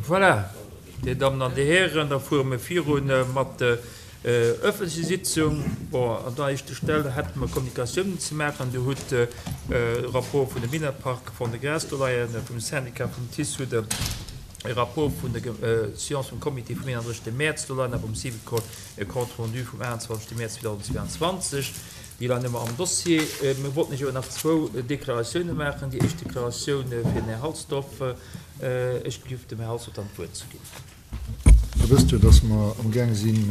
Voilà, Dir Dammen an Dir Hären, da fuere mir viru mat der öffentlecher Sitzung. Bon, an der éischter Stell hätte mer Kommunikatiounen ze maachen. Dir hutt de Rapport vun dem Minetpark Fond-de-Gras do leien, vum Syndicat vum TICE hutt Der e Rapport vun der Séance vum Comité vum 31. Mäerz do leien a vum Syvicol e Compte rendu vum 28. Mäerz 2022. Déi leien ëmmer am Dossier. Mir wollten lech awer nach zwou Deklaratiounen maachen. Déi éischt Deklaratioun fir den Här Halsdorf. Ech giff dem Här Halsdorf dann d'Wuert ze ginn. Der wësst jo, dass mer amgaang sinn,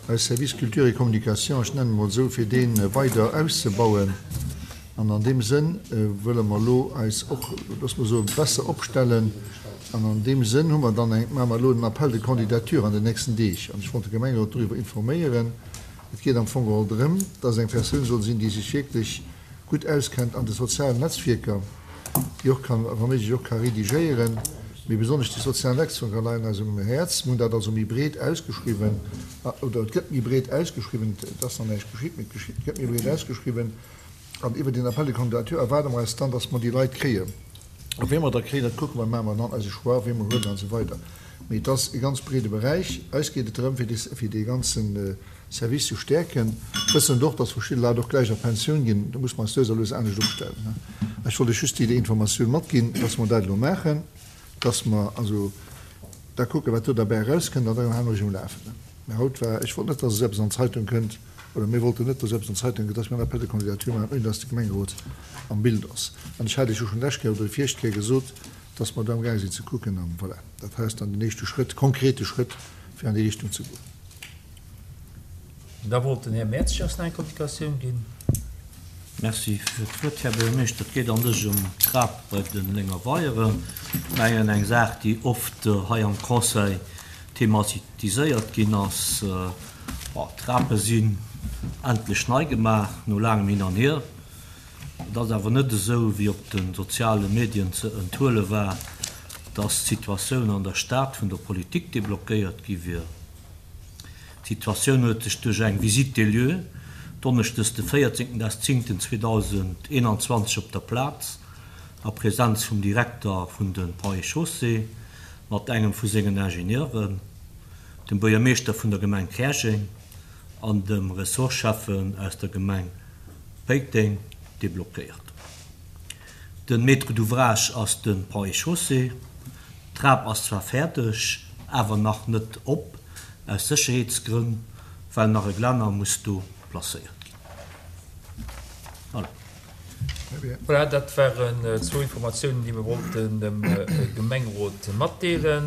eis Service Culture et Communication, ech nennen e mol esou, fir dee weider auszebauen. An an deem Sënn wëlle mer elo eis och, loosse mer soen, besser opstellen. An an deem Sënn hu mer dann eng, maache mer elo en Appel de candidature an den nächsten Deeg. An ech wollt de Gemengerot doriwwer informéieren. Et geet am Fong geholl drëm, dass eng Persoun soll sinn, déi sech wierklech gutt auskennt an de sozialen Netzwierker, déi och kann, wa méiglech och ka redigéieren, mee besonnesch déi sozial Netzwierker leien eis um Häerz. Mir hunn dat also méi breet ausgeschriwwen, oder et gëtt méi breet ausgeschriwwen, et ass nach näischt geschitt, mee et gëtt méi breet ausgeschriwwen. An iwwer deen Appel de candidature erwaarde mer eis dann, dass mer déi Leit kréien. A wee mer da kréien, dat kucke mer, maache mer dann eise Choix, wee mer huelen an esou weider. Mee et ass e ganz breede Beräich. Eis geet et drëm, fir dee ganze Service ze stäerken, wëssend och, dass verschidde Leit och gläich a Pensioun ginn. Do musse mer eis lues a lues anescht opstellen. Ech wollt lech just déi Informatioun matginn, dass mer dat elo maachen, dass mer also da kucken, wat do derbäi erauskënnt, an dann hale mer lech um Lafenden. Mä haut war, ech wollt net, dass esou eppes an d'Zeitung kënnt, oder mir wollten net, dass eppes an d'Zeitung kënnt, dass mir en Appel de candidature maachen, ouni dass de Gemengerot am Bild ass. An ech hat Iech jo schonn d'lescht Kéier oder déi viregt Kéier gesot, dass mer do amgaang sinn ze kucken. An voilà, dat hei ass dann den éischte Schrëtt, konkrete Schrëtt, fir an déi Richtung ze goen. Da wollt den Här Mertzig eis nach eng Kommunikatioun ginn. Merci fir d'Wuert, Här Buergermeeschter. Et geet an sech ëm d'Trap bei den Lénger Weieren. Ech mengen, eng Saach, déi oft hei am Conseil thematiséiert ginn ass. Bon, d'Trape sinn endlech nei gemaach, no laangem Hin an Hier. Et ass awer net esou, wéi op de soziale Medien ze enthuele war, datt d'Situatioun an der Stad vun der Politik deblockéiert gi wier. D'Situatioun huet sech duerch eng Visite des lieux donneschdes de 14.10.2021 op der Plaz, a Presenz vum Direkter vun de Ponts et Chaussées mat engem vu sengen Ingenieuren, dem Buergermeeschter vun der Gemeng Käerjeng an dem Ressortschäffen aus der Gemeng Péiteng, deblockéiert. Den Maître d'ouvrage ass de Ponts et Chaussées. D'Trap ass zwar fäerdeg, awer nach net op, aus Sécherheetsgrënn, well nach e Glänner muss do placéiert ginn. Voilà. Voilà, dat waren zwou Informatiounen, déi mir wollten dem Gemengerot matdeelen.